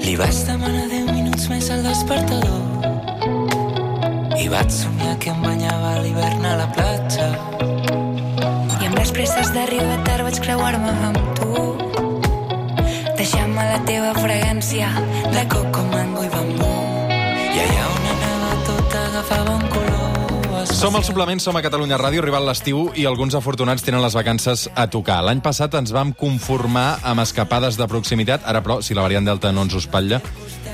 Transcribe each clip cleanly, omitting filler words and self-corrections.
Li vaig demanar 10 minuts més al despertador i vaig somiar que em banyava a l'hivern a la platja. I amb les presses d'arribar tard vaig creuar-me amb tu, deixant-me la teva fragància de coco, mango i bambú. I allà on anava tot agafava un color. Som al Suplement, som a Catalunya Ràdio, arribat l'estiu i alguns afortunats tenen les vacances a tocar. L'any passat ens vam conformar amb escapades de proximitat, ara però, si la variant Delta no ens ho espatlla,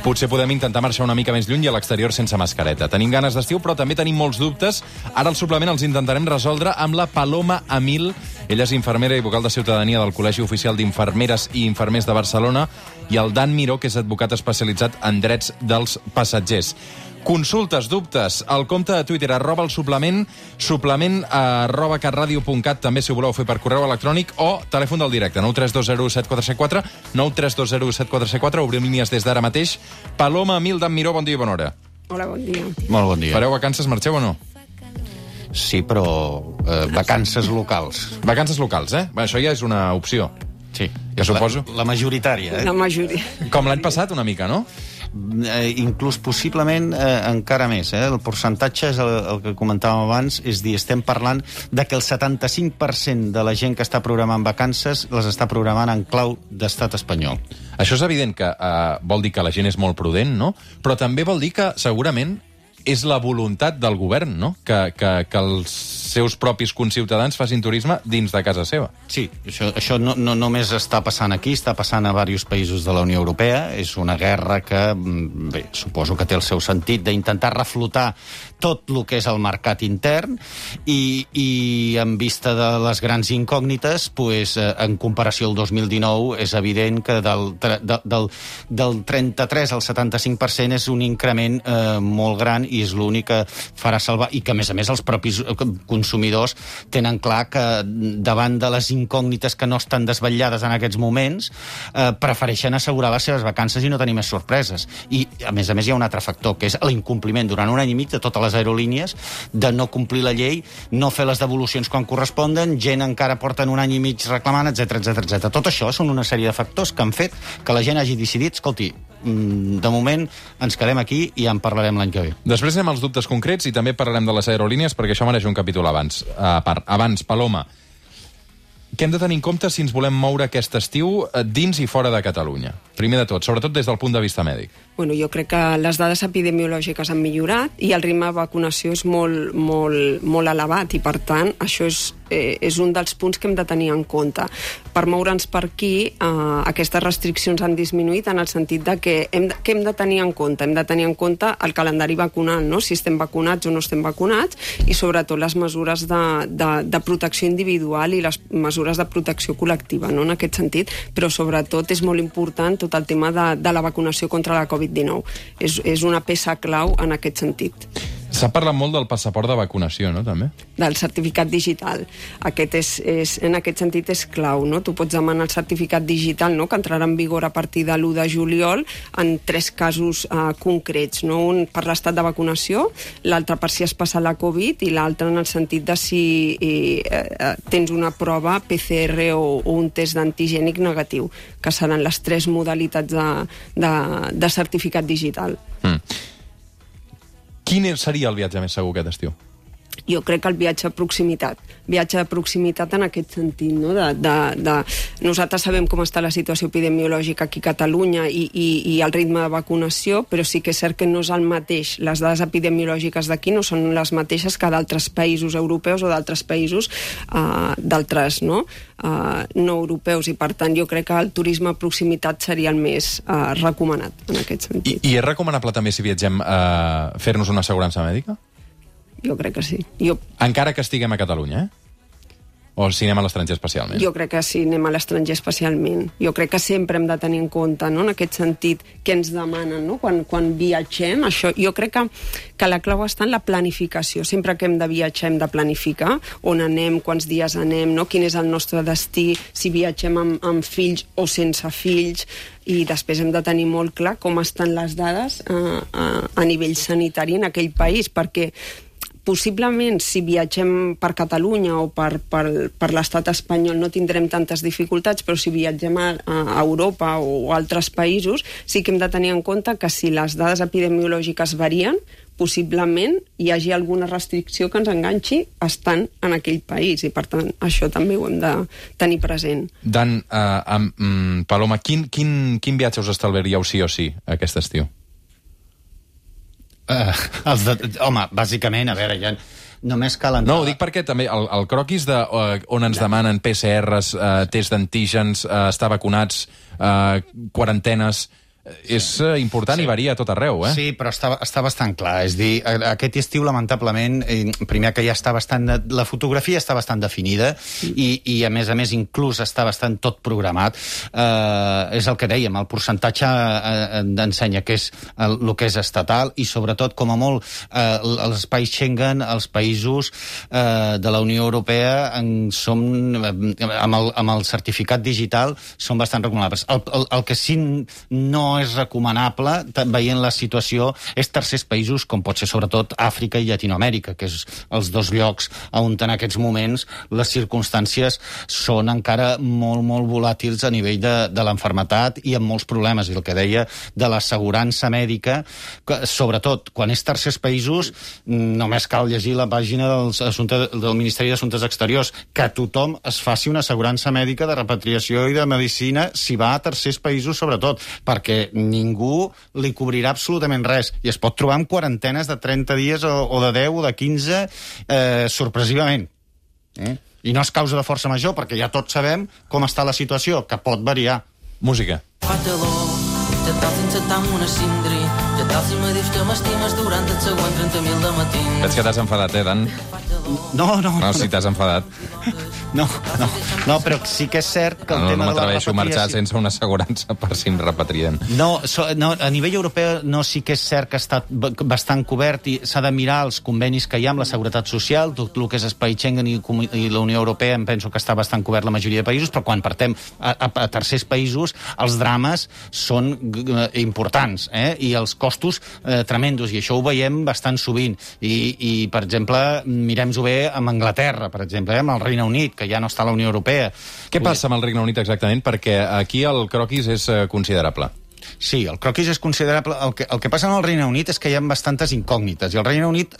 potser podem intentar marxar una mica més lluny i a l'exterior sense mascareta. Tenim ganes d'estiu, però també tenim molts dubtes. Ara al Suplement els intentarem resoldre amb la Paloma Amil. Ella és infermera i vocal de ciutadania del Col·legi Oficial d'Infermeres i Infermers de Barcelona, i el Dan Miró, que és advocat especialitzat en drets dels passatgers. Consultes, dubtes, al compte de Twitter, @elsuplement, suplement@catradio.cat, també si ho voleu fer per correu electrònic, o telèfon del directe, 932017474, 932017474, obrim línies des d'ara mateix. Paloma Amil, Dan Miró, bon dia i bona hora. Hola, bon dia. Molt bon dia. Fareu vacances, marxeu o no? Sí, però vacances locals. Vacances locals, eh? Bé, això ja és una opció. Sí. Ja suposo. La majoritària, La majoria. Com l'any passat, una mica, no? Inclús possiblement encara més. El percentatge és el que comentàvem abans, és dir, estem parlant de que el 75% de la gent que està programant vacances les està programant en clau d'estat espanyol. Això és evident que vol dir que la gent és molt prudent, no? Però també vol dir que segurament és la voluntat del govern, no? Que els seus propis conciutadans facin turisme dins de casa seva. Sí, això no només està passant aquí, està passant a diversos països de la Unió Europea. És una guerra que, bé, suposo que té el seu sentit d'intentar reflotar tot el que és el mercat intern i en vista de les grans incògnites, pues, en comparació al 2019, és evident que del 33 al 75% és un increment molt gran i és l'únic que farà salvar, i que a més els propis consumidors tenen clar que davant de les incògnites que no estan desvetllades en aquests moments, prefereixen assegurar les seves vacances i no tenir més sorpreses. I a més hi ha un altre factor, que és l'incompliment durant un any i mig de totes les aerolínies, de no complir la llei, no fer les devolucions quan corresponden, gent encara porten un any i mig reclamant, etc. Tot això són una sèrie de factors que han fet que la gent hagi decidit, escolti, de moment ens quedem aquí i en parlarem l'any que ve. Després anem als dubtes concrets i també parlarem de les aerolínies, perquè això mereix un capítol abans. Abans, Paloma, què hem de tenir en compte si ens volem moure aquest estiu dins i fora de Catalunya? Primer de tot, sobretot des del punt de vista mèdic. Bueno, jo crec que les dades epidemiològiques han millorat i el ritme de vacunació és molt elevat i, per tant, això és un dels punts que hem de tenir en compte. Per moure'ns per aquí, aquestes restriccions han disminuït en el sentit de que què hem de tenir en compte? Hem de tenir en compte el calendari vacunal, no? Si estem vacunats o no estem vacunats, i sobretot les mesures de protecció individual i les mesures de protecció col·lectiva, no? En aquest sentit, però sobretot és molt important tot el tema de la vacunació contra la Covid-19. És una peça clau en aquest sentit. S'ha parlat molt del passaport de vacunació, no, també? Del certificat digital. Aquest en aquest sentit és clau, no? Tu pots demanar el certificat digital, no?, que entrarà en vigor a partir de l'1 de juliol en 3 casos concrets, no? Un per l'estat de vacunació, l'altre per si has passat la Covid i l'altre en el sentit de si tens una prova PCR o un test d'antigènic negatiu, que seran les 3 modalitats de certificat digital. Quin seria el viatge més segur aquest estiu? Jo crec que el viatge de proximitat en aquest sentit, no? Nosaltres sabem com està la situació epidemiològica aquí a Catalunya i el ritme de vacunació, però sí que és cert que no és el mateix. Les dades epidemiològiques d'aquí no són les mateixes que d'altres països europeus o d'altres països d'altres, no europeus, i per tant jo crec que el turisme de proximitat seria el més recomanat en aquest sentit. I és recomanable també, si viatgem, fer-nos una assegurança mèdica? Jo crec que sí. Encara que estiguem a Catalunya, eh? O si anem a l'estranger especialment? Jo crec que sí, anem a l'estranger especialment. Jo crec que sempre hem de tenir en compte, no?, en aquest sentit, què ens demanen, no?, quan viatgem. Això, jo crec que la clau està en la planificació. Sempre que hem de viatjar hem de planificar on anem, quants dies anem, no?, quin és el nostre destí, si viatgem amb fills o sense fills, i després hem de tenir molt clar com estan les dades a nivell sanitari en aquell país, perquè possiblement, si viatgem per Catalunya o per l'estat espanyol no tindrem tantes dificultats, però si viatgem a Europa o a altres països, sí que hem de tenir en compte que si les dades epidemiològiques varien, possiblement hi hagi alguna restricció que ens enganxi estant en aquell país, i per tant això també ho hem de tenir present. Dan, Paloma, quin viatge us estalviaríeu sí o sí aquest estiu? Home, bàsicament, a veure, ja només cal entrar... No, ho dic perquè també el croquis on ens demanen PCRs, test d'antígens, estar vacunats, quarantenes... És important i varia a tot arreu, eh? Sí, però està bastant clar. És dir, aquest estiu, lamentablement, primer que ja està bastant... La fotografia està bastant definida i a més, inclús està bastant tot programat. És el que dèiem, el percentatge ensenya que és el que és estatal i, sobretot, com a molt, els espais Schengen, els països de la Unió Europea, amb el certificat digital, són bastant recomanables. El que sí no és recomanable, veient la situació, és tercers països, com pot ser sobretot Àfrica i Llatinoamèrica, que és els dos llocs on en aquests moments les circumstàncies són encara molt, molt volàtils a nivell de l'enfermetat i amb molts problemes. I el que deia de l'assegurança mèdica, sobretot quan és tercers països, només cal llegir la pàgina del Ministeri d'Assumptes Exteriors, que tothom es faci una assegurança mèdica de repatriació i de medicina si va a tercers països, sobretot, perquè ningú li cobrirà absolutament res i es pot trobar amb quarantenes de 30 dies o de 10 o de 15 sorpresivament. I no és causa de força major, perquè ja tots sabem com està la situació, que pot variar. Música. Ja tal sense estar amb una cindri, ja tal si me dius que m'estimes durant els següents 30.000 de matí. Veig que t'has enfadat, Dan? No, si t'has enfadat. No, però sí que és cert que el tema de la repatriació... No m'atreveixo a marxar sense una assegurança per si em repatrien. No, a nivell europeu sí que és cert que està bastant cobert i s'ha de mirar els convenis que hi ha amb la Seguretat Social, tot el que és espai Schengen i la Unió Europea, em penso que està bastant cobert la majoria de països, però quan partem a tercers països, els drames són importants, i els costos tremendos, i això ho veiem bastant sovint. I per exemple, mirem-ho bé amb Anglaterra, per exemple, amb el Regne Unit, que ja no està a la Unió Europea. Què passa amb el Regne Unit exactament? Perquè aquí el croquis és considerable. Sí, el croquis és considerable. El que passa en el Regne Unit és que hi ha bastantes incògnites, i el Regne Unit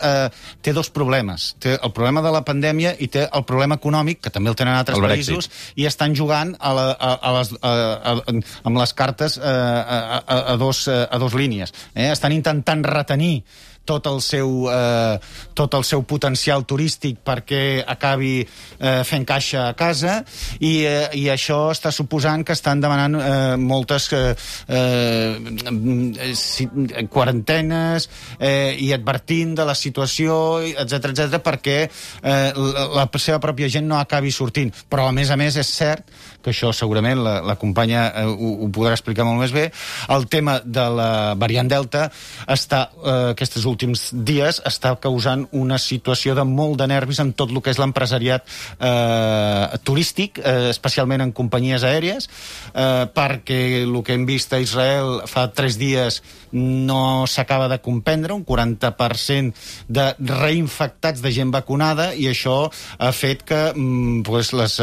té dos problemes. Té el problema de la pandèmia i té el problema econòmic, que també el tenen altres països, i estan jugant amb les cartes a dos línies. Estan intentant retenir tot el seu potencial turístic perquè acabi fent caixa a casa, i això està suposant que estan demanant moltes quarantenes i advertint de la situació, etc, perquè la seva pròpia gent no acabi sortint. Però, a més, és cert que això segurament la companya ho podrà explicar molt més bé. El tema de la variant Delta aquestes últims dies està causant una situació de molt de nervis en tot el que és l'empresariat turístic, especialment en companyies aèries, perquè el que hem vist a Israel fa 3 dies no s'acaba de comprendre, un 40% de reinfectats de gent vacunada, i això ha fet que les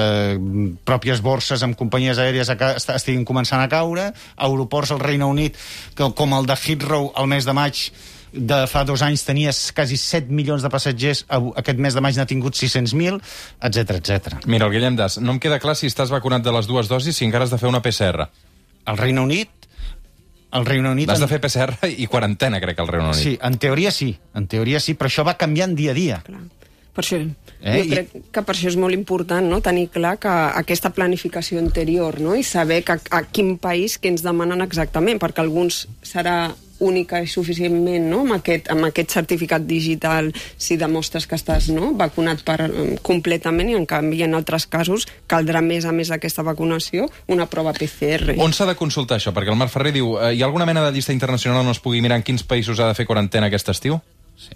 pròpies borses amb companyies aèries estiguin començant a caure. Aeroports al Regne Unit, com el de Heathrow al mes de maig de fa 2 anys tenia quasi 7 milions de passatgers, aquest mes de maig n'ha tingut 600.000, etc. Mira, el Guillem Das, no em queda clar si estàs vacunat de les 2 dosis, si encara has de fer una PCR. Al Regne Unit... Has de fer PCR i quarantena, crec, al Regne Unit. Sí, en teoria sí, però això va canviant dia a dia. Clar. Per això, jo crec que per això és molt important, no?, tenir clar que aquesta planificació anterior, no?, i saber a quin país que ens demanen exactament, perquè alguns serà única i suficientment, no?, amb aquest certificat digital, si demostres que estàs, no?, vacunat completament, i en canvi en altres casos caldrà més a més d'aquesta vacunació una prova PCR. On s'ha de consultar això? Perquè el Marc Ferrer diu, hi ha alguna mena de llista internacional on es pugui mirar en quins països ha de fer quarantena aquest estiu?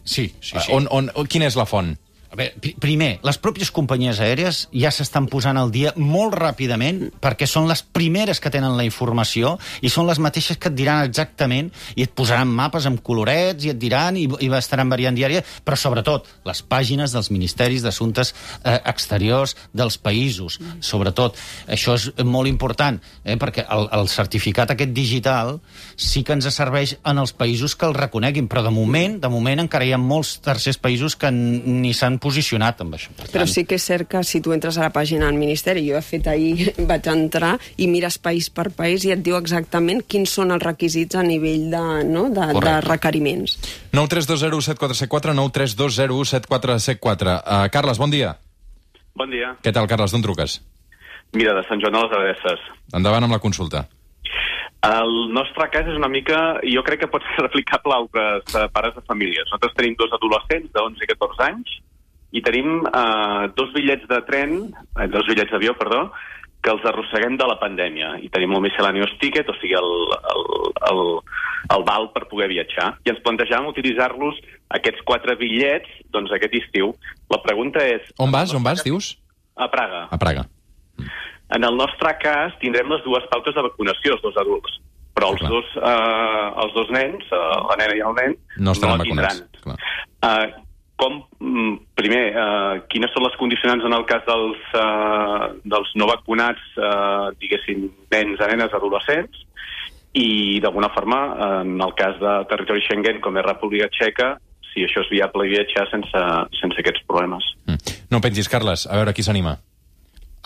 Sí. Quina és la font? A veure, primer, les pròpies companyies aèries ja s'estan posant al dia molt ràpidament perquè són les primeres que tenen la informació i són les mateixes que et diran exactament i et posaran mapes amb colorets i et diran i estaran variant diària, però sobretot les pàgines dels ministeris d'assumptes exteriors dels països. Sobretot, això és molt important, perquè el certificat aquest digital sí que ens serveix en els països que el reconeguin, però de moment encara hi ha molts tercers països que ni s'han posicionat amb això. Però sí que és cert que si tu entres a la pàgina del Ministeri, jo he fet ahir, vaig entrar i mires país per país i et diu exactament quins són els requisits a nivell de requeriments. 932017474, 932017474. Carles, bon dia. Bon dia. Què tal, Carles? D'on truques? Mira, de Sant Joan de les Abadesses. Endavant amb la consulta. El nostre cas és una mica, jo crec que pot ser replicable a altres pares de famílies. Nosaltres tenim dos adolescents de 11 i 14 anys i tenim dos bitllets d'avió, que els arrosseguem de la pandèmia. I tenim el miscellaneous ticket, o sigui, el val per poder viatjar. I ens plantejàvem utilitzar-los, aquests 4 bitllets, doncs aquest estiu. La pregunta és... On vas, dius? A Praga. A Praga. En el nostre cas, tindrem les dues pautes de vacunació, els dos adults. Però els dos nens, la nena i el nen, no estaran vacunats. Vacunats. Primer, quines són les condicionants en el cas dels no vacunats, diguéssim, nens a nenes adolescents, i d'alguna forma, en el cas de territori Schengen, com és República Txeca, si això és viable viatjar sense aquests problemes. No pengis, Carles, a veure qui s'anima.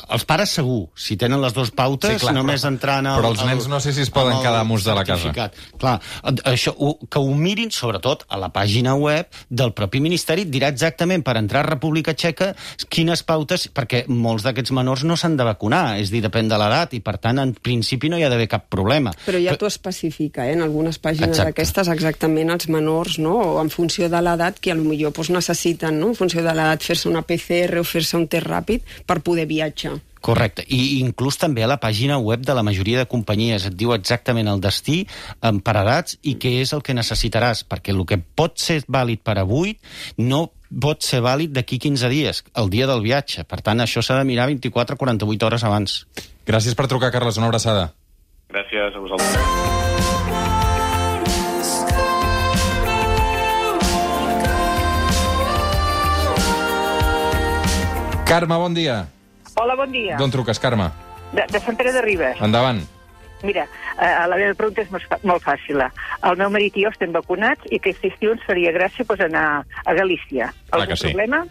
Els pares segur, si tenen les dues pautes, sí, clar, només entrant però els nens no sé si es poden quedar amos de la casa. Clar, això, que ho mirin sobretot a la pàgina web del propi Ministeri, dirà exactament per entrar a República Txeca quines pautes, perquè molts d'aquests menors no s'han de vacunar, és a dir, depèn de l'edat, i per tant, en principi no hi ha d'haver cap problema. Però ja t'ho especifica, en algunes pàgines d'aquestes, exactament els menors, no? O en funció de l'edat, que potser necessiten, no? En funció de l'edat, fer-se una PCR o fer-se un test ràpid per poder viatjar. Correcte, i inclús també a la pàgina web de la majoria de companyies et diu exactament el destí per edats i què és el que necessitaràs, perquè el que pot ser vàlid per avui no pot ser vàlid d'aquí 15 dies, el dia del viatge. Per tant, això s'ha de mirar 24 o 48 hores abans. Gràcies per trucar, Carles, una abraçada. Gràcies a vosaltres. Carme, bon dia. Hola, bon dia. D'on truques, Carme? De Sant Pere de Ribes. Endavant. Mira, la meva pregunta és molt fàcil. El meu marit i jo estem vacunats i aquest estiu ens faria gràcia anar a Galícia. Algun problema?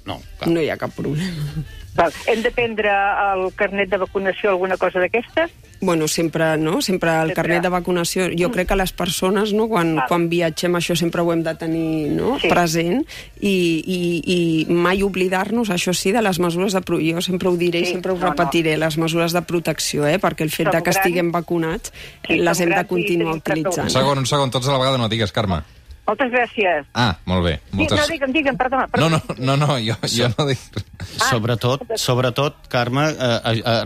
No, no hi ha cap problema. Val. Hem de prendre el carnet de vacunació, alguna cosa d'aquestes? Bueno, sempre, no? Sempre el carnet de vacunació. Jo crec que les persones, no? Quan viatgem, això sempre ho hem de tenir, no? present i mai oblidar-nos, això sí, de les mesures de protecció. Jo sempre ho diré i sempre ho repetiré, les mesures de protecció, perquè el fet de que estiguem vacunats les hem de continuar utilitzant. Un segon, tots a la vegada no digues, Carme. Moltes gràcies. Ah, molt bé. No, digue'm, perdona. No, jo no dic... Sobretot, Carme,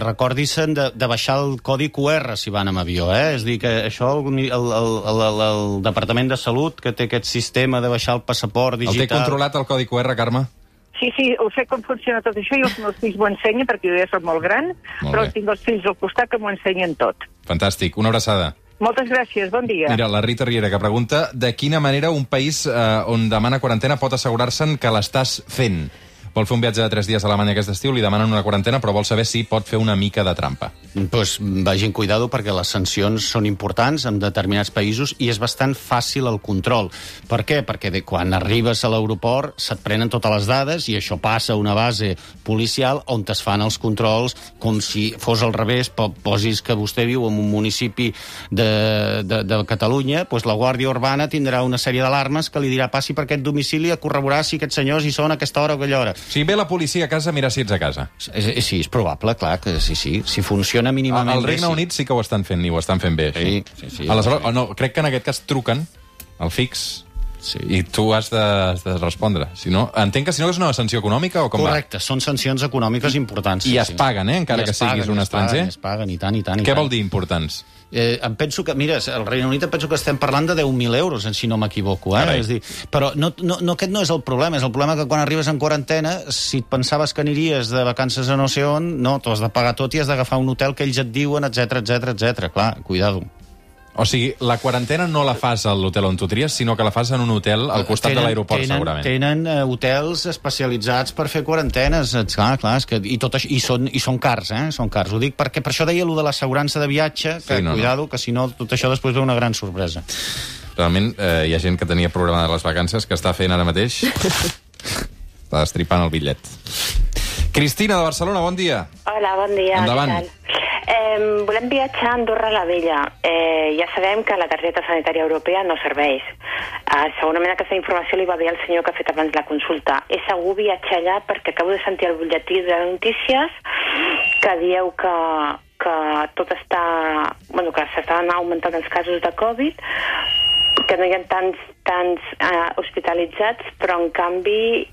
recordis-se'n de baixar el codi QR si van amb avió, És a dir, que això el Departament de Salut, que té aquest sistema de baixar el passaport digital... El té controlat el codi QR, Carme? Sí, ho sé com funciona tot això i els meus fills m'ho ensenyen perquè jo ja soc molt gran, però tinc els fills al costat que m'ho ensenyen tot. Fantàstic, una abraçada. Moltes gràcies, bon dia. Mira, la Rita Riera, que pregunta de quina manera un país on demana quarantena pot assegurar-se'n que l'estàs fent. Vol fer un viatge de 3 dies a Alemanya aquest estiu, li demanen una quarantena, però vol saber si pot fer una mica de trampa. Doncs vagin cuidado perquè les sancions són importants en determinats països i és bastant fàcil el control. Per què? Perquè quan arribes a l'aeroport se't prenen totes les dades i això passa a una base policial on es fan els controls com si fos al revés, posis que vostè viu en un municipi de Catalunya, doncs la Guàrdia Urbana tindrà una sèrie d'alarmes que li dirà passi per aquest domicili a corroborar si aquests senyors hi són a aquesta hora o aquella hora. Si ve la policia a casa, mira si ets a casa. Sí, és probable, clar, que sí. Si funciona mínimament al Regne Unit sí que ho estan fent, i ho estan fent bé. Sí. Aleshores, crec que en aquest cas truquen al fix Sí. I tu has de respondre. Si no, entenc que si no és una sanció econòmica o com Correcte, són sancions econòmiques importants. I es paguen, encara que siguis un estranger? Es paguen, i tant, i tant. Què vol dir importants? Em penso que, mira, al Regne Unit em penso que estem parlant de 10.000 euros, si no m'equivoco. És dir, però aquest no és el problema. És el problema que quan arribes en quarantena, si et pensaves que aniries de vacances a no sé on, no, t'ho has de pagar tot i has d'agafar un hotel que ells et diuen, etc. Clar, cuidado. O sigui, la quarantena no la fas a l'hotel on tu tries, sinó que la fas en un hotel al costat de l'aeroport, segurament. Tenen hotels especialitzats per fer quarantenes, clar, és que, i són cars, són cars. Ho dic perquè per això deia allò de l'assegurança de viatge, que cuidado, que si no, tot això després ve una gran sorpresa. Realment, hi ha gent que tenia programada les vacances que està fent ara mateix. Està destripant el bitllet. Cristina, de Barcelona, bon dia. Hola, bon dia. Endavant. Volem viatjar a Andorra la Vella. Ja sabem que la targeta sanitària europea no serveix. Segurament aquesta informació li va bé al senyor que ha fet abans la consulta. És segur viatjar allà perquè acabo de sentir el butlletí de notícies que dieu que tot està... Bueno, que s'estan augmentant els casos de Covid, que no hi ha tants hospitalitzats, però en canvi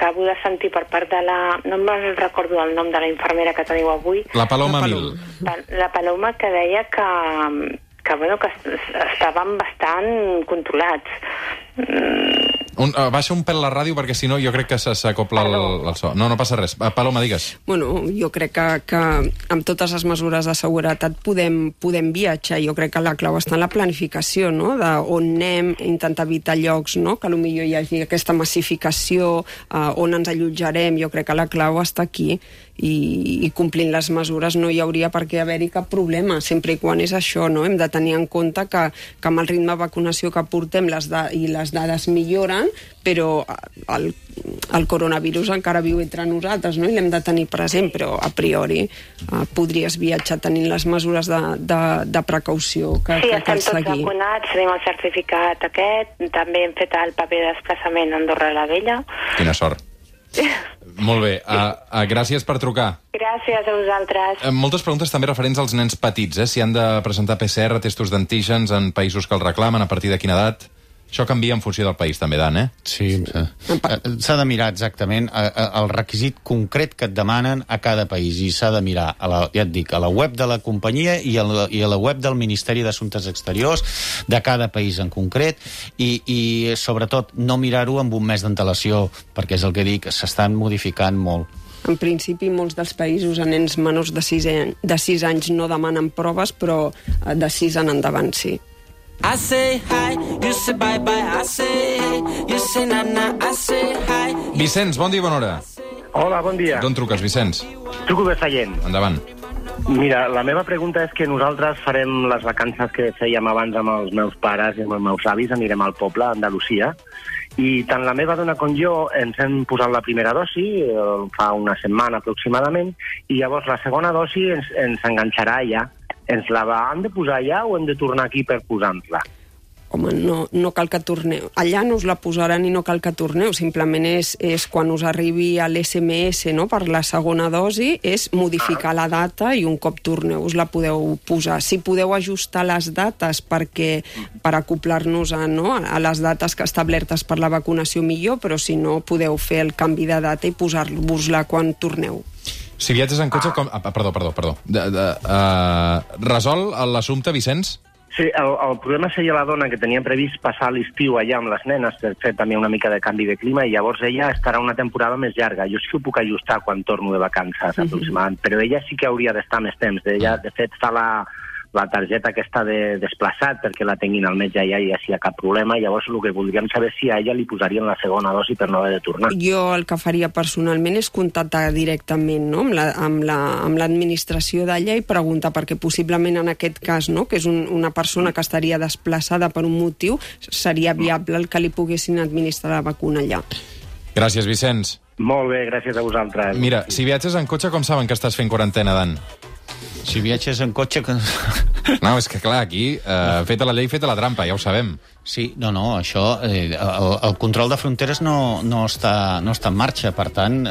acabo de sentir per part de la... No me'n recordo el nom de la infermera que teniu avui. La Paloma Mil. La Paloma, que deia que estaven bastant controlats. Baixa un pèl la ràdio perquè si no jo crec que s'acopla el so. No passa res. Paloma, digues. Bueno, jo crec que amb totes les mesures de seguretat podem viatjar. Jo crec que la clau està en la planificació, no? D'on anem, intentar evitar llocs, no? Que potser hi hagi aquesta massificació, on ens allotjarem. Jo crec que la clau està aquí i complint les mesures no hi hauria per què haver-hi cap problema, sempre i quan és això, no? Hem de tenir en compte que amb el ritme de vacunació que portem i les dades milloren, però el coronavirus encara viu entre nosaltres, no? I l'hem de tenir present, però a priori podries viatjar tenint les mesures de precaució que cal seguir. Sí, estem tots vacunats, tenim el certificat aquest, també hem fet el paper de desplaçament a Andorra la Vella. Quina sort. Molt bé, gràcies per trucar. Gràcies a vosaltres. Moltes preguntes també referents als nens petits, si han de presentar PCR, testos d'antígens en països que el reclamen, a partir de quina edat. Això canvia en funció del país, també, Dan, Sí, s'ha de mirar exactament el requisit concret que et demanen a cada país, i s'ha de mirar, ja et dic, a la web de la companyia i a la web del Ministeri d'Assumptes Exteriors de cada país en concret, i sobretot no mirar-ho amb un mes d'antelació, perquè és el que dic, s'estan modificant molt. En principi, molts dels països a nens menors de 6 anys no demanen proves, però de 6 en endavant sí. I say hi, you say bye bye, I say hey, you say na na, I say hi. Vicenç, bon dia i bona hora. Hola, bon dia. D'on truques, Vicenç? Truco de Sallent. Endavant. Mira, la meva pregunta és que nosaltres farem les vacances que fèiem abans amb els meus pares i amb els meus avis, anirem al poble, a Andalusia, i tant la meva dona com jo ens hem posat la primera dosi, fa una setmana aproximadament, i llavors la segona dosi ens enganxarà allà. Ens la hem de posar allà o hem de tornar aquí per posar-nos-la? Home, no cal que torneu. Allà no us la posaran i no cal que torneu. Simplement és quan us arribi l'SMS, no?, per la segona dosi, és modificar la data i un cop torneu us la podeu posar. Si podeu ajustar les dates per acoplar-nos a les dates establertes per la vacunació millor, però si no podeu fer el canvi de data i posar-vos-la quan torneu. Si viatges en cotxe... Perdó. Resol l'assumpte, Vicenç? Sí, el problema seria la dona que tenia previst passar l'estiu allà amb les nenes per fer també una mica de canvi de clima, i llavors ella estarà una temporada més llarga. Jo sí que ho puc ajustar quan torno de vacances, aproximadament, però ella sí que hauria d'estar més temps. Ella, de fet, fa la targeta aquesta de desplaçat perquè la tinguin al metge allà i ja si hi ha cap problema. Llavors el que voldríem saber si a ella li posarien la segona dosi per no haver de tornar. Jo el que faria personalment és contactar directament, no?, amb l'administració d'allà i preguntar, perquè possiblement en aquest cas, no?, que és una persona que estaria desplaçada per un motiu, seria viable el que li poguessin administrar la vacuna allà. Gràcies, Vicenç. Molt bé, gràcies a vosaltres. Mira, si viatges en cotxe, com saben que estàs fent quarantena, Dan? Si viatges en cotxe... No, és que clar, aquí, feta la llei, feta la trampa, ja ho sabem. Sí, no, això, el control de fronteres no està en marxa, per tant,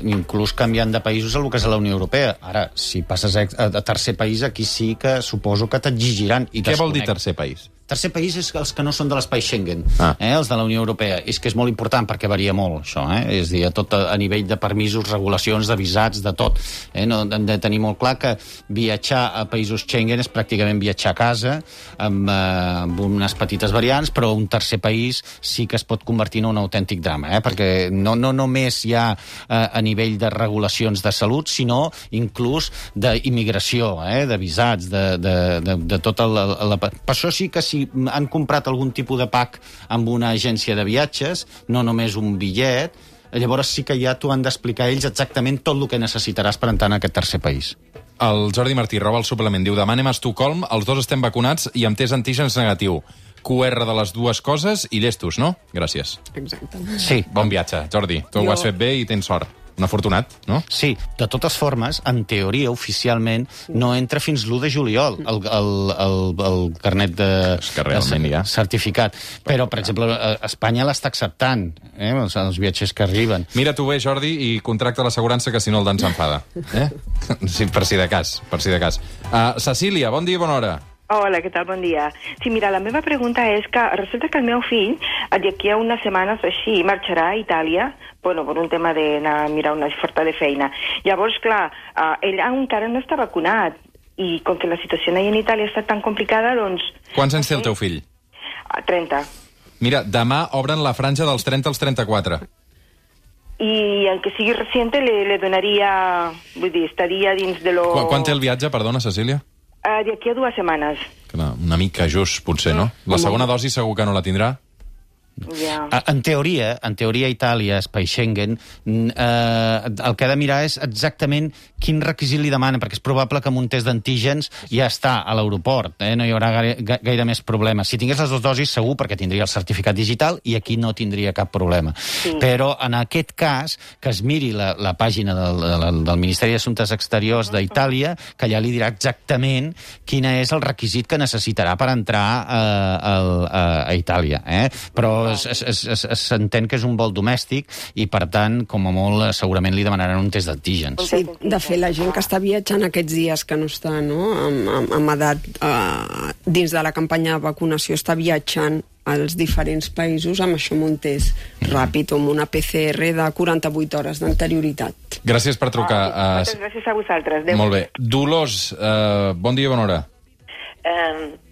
inclús canviant de països el que és a la Unió Europea. Ara, si passes a tercer país, aquí sí que suposo que t'exigiran. Què vol dir tercer país? Tercer país és els que no són de l'espai Schengen, els de la Unió Europea. És que és molt important perquè varia molt, això. És a dir, tot a nivell de permisos, regulacions, de visats, de tot. No, hem de tenir molt clar que viatjar a països Schengen és pràcticament viatjar a casa, amb unes petites variants, però un tercer país sí que es pot convertir en un autèntic drama, perquè no només hi ha a nivell de regulacions de salut, sinó inclús d'immigració, de visats, de tot per això sí que si han comprat algun tipus de pack amb una agència de viatges, no només un bitllet, llavors sí que ja t'ho han d'explicar ells exactament tot el que necessitaràs per entrar en aquest tercer país. El Jordi Martí roba el suplement, diu: demà anem a Estocolm, els dos estem vacunats i amb test antígens negatiu. QR de les dues coses i llestos, no? Gràcies. Exacte. Sí. Bon viatge, Jordi. Tu ho has fet bé i tens sort. Un afortunat, no? Sí, de totes formes, en teoria, oficialment, no entra fins l'1 de juliol el carnet de certificat. Però, per exemple, Espanya l'està acceptant, els viatgers que arriben. Mira tu bé, Jordi, i contracta l'assegurança, que si no el Dan s'enfada. Sí, per si de cas. Cecília, bon dia i bona hora. Hola, què tal? Bon dia. Sí, mira, la meva pregunta és que resulta que el meu fill, d'aquí a unes setmanes així, marxarà a Itàlia, per un tema d'anar a mirar una oferta de feina. Llavors, clar, ell encara no està vacunat, i com que la situació allà en Itàlia està tan complicada, doncs... Quants anys té el teu fill? 30. Mira, demà obren la franja dels 30 als 34. I el que sigui reciente le donaria, vull dir, estaria dins de lo... Quan té el viatge, perdona, Cecília? D'aquí a 2 setmanes. Una mica just, potser, no? La segona dosi segur que no la tindrà? Yeah. En teoria, Itàlia, espai Schengen, el que ha de mirar és exactament quin requisit li demanen, perquè és probable que amb un test d'antígens ja està a l'aeroport, no hi haurà gaire més problema. Si tingués les 2 dosis, segur, perquè tindria el certificat digital i aquí no tindria cap problema. Sí. Però en aquest cas, que es miri la pàgina del Ministeri d'Assumptes Exteriors d'Itàlia, que allà li dirà exactament quin és el requisit que necessitarà per entrar a Itàlia. Però s'entén que és un vol domèstic i, per tant, com a molt, segurament li demanaran un test d'antígens. Sí, de fet, la gent que està viatjant aquests dies que no està amb edat dins de la campanya de vacunació està viatjant als diferents països amb això, amb un test ràpid o amb una PCR de 48 hores d'anterioritat. Gràcies per trucar. Moltes gràcies a vosaltres. Adéu. Molt bé. Dolors, bon dia i bona hora.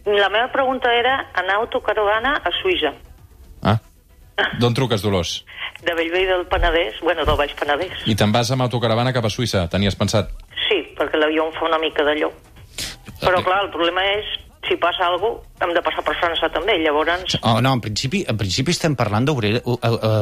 La meva pregunta era anar a autocaravana a Suïssa. D'on truques, Dolors? De Bellvei del Penedès, del Baix Penedès. I te'n vas amb autocaravana cap a Suïssa, tenies pensat? Sí, perquè l'avió em fa una mica d'allò. Però, clar, el problema és, si passa alguna cosa, hem de passar per França també, llavors... No, en principi estem parlant d'obrir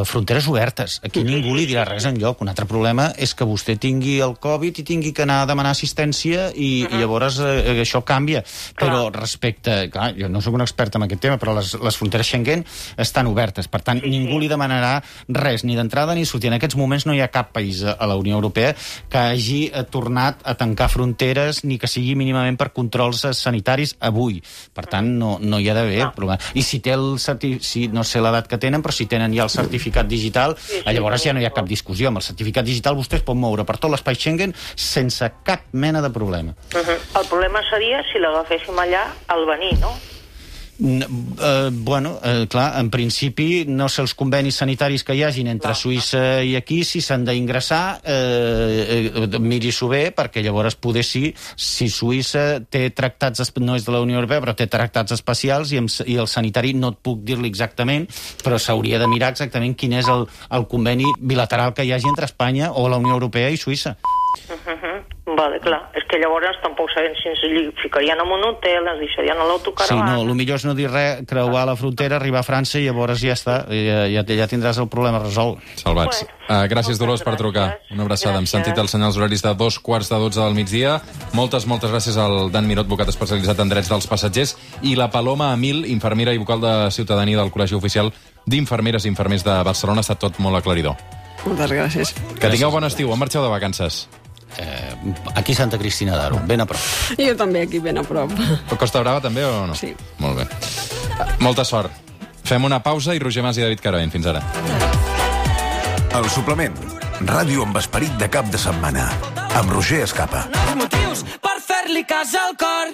fronteres obertes. Aquí ningú li dirà res enlloc. Un altre problema és que vostè tingui el Covid i tingui que anar a demanar assistència i llavors això canvia. Però respecte... Clar, jo no soc un expert en aquest tema, però les fronteres Schengen estan obertes. Per tant, ningú li demanarà res, ni d'entrada ni sortir. En aquests moments no hi ha cap país a la Unió Europea que hagi tornat a tancar fronteres ni que sigui mínimament per controls sanitaris avui. Per tant, no hi ha d'haver problema. I si té no sé l'edat que tenen, però si tenen ja el certificat digital, llavors ja no hi ha cap discussió. Amb el certificat digital vostè es pot moure per tot l'espai Schengen sense cap mena de problema. El problema seria si l'agaféssim allà al venir, no? Clar, en principi no sé els convenis sanitaris que hi hagin entre Suïssa i aquí, si s'han d'ingressar, miri-s'ho bé, perquè llavors poder si Suïssa té tractats, no és de la Unió Europea, però té tractats especials i el sanitari no et puc dir-li exactament, però s'hauria de mirar exactament quin és el conveni bilateral que hi hagi entre Espanya o la Unió Europea i Suïssa. Vale, clar. És que llavors tampoc sabem si ens ficarien en un hotel, ens deixarien a l'autocaravana... Sí, no, el millor és no dir res, creuar la frontera, arribar a França i llavors ja està, ja tindràs el problema resolt. Salvats. Gràcies, Dolors, per trucar. Una abraçada. Hem sentit els senyals horaris de 2:45 del migdia. Moltes gràcies al Dan Miró, advocat especialitzat en drets dels passatgers, i la Paloma Amil, infermera i vocal de Ciutadania del Col·legi Oficial d'Infermeres i Infermers de Barcelona. Ha estat tot molt aclaridor. Moltes gràcies. Que tingueu bon estiu. On marxeu de vacances? Aquí Santa Cristina d'Aro, ben a prop. Jo també aquí ben a prop. Costa Brava també o no? Sí. Molt bé. Molta sort. Fem una pausa i Roger Mas i David Caravent. Fins ara. El suplement. Ràdio amb esperit de cap de setmana. Amb Roger Escapa. Motius per fer-li cas al cor.